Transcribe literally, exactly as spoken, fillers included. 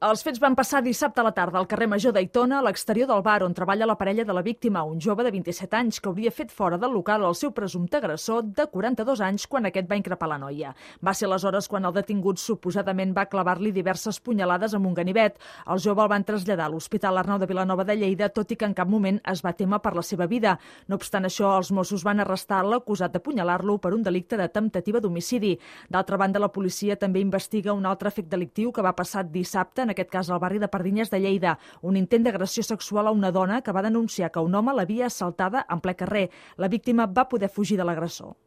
Els fets van passar dissabte a la tarda al carrer Major d'Aitona, a l'exterior del bar on treballa la parella de la víctima, un jove de vint-i-set anys que hauria fet fora del local el seu presumpte agressor de quaranta-dos anys quan aquest va increpar la noia. Va ser aleshores quan el detingut suposadament va clavar-li diverses punyalades amb un ganivet. El jove el van traslladar a l'Hospital Arnau de Vilanova de Lleida, tot i que en cap moment es va témer per la seva vida. No obstant això, els Mossos van arrestar l'acusat d'apunyalar-lo per un delicte de temptativa d'homicidi. D'altra banda, la policia també investiga un altre fet delictiu que va passar dissabte, en aquest cas al barri de Pardines de Lleida, un intent d'agressió sexual a una dona que va denunciar que un home l'havia assaltada en ple carrer. La víctima va poder fugir de l'agressor.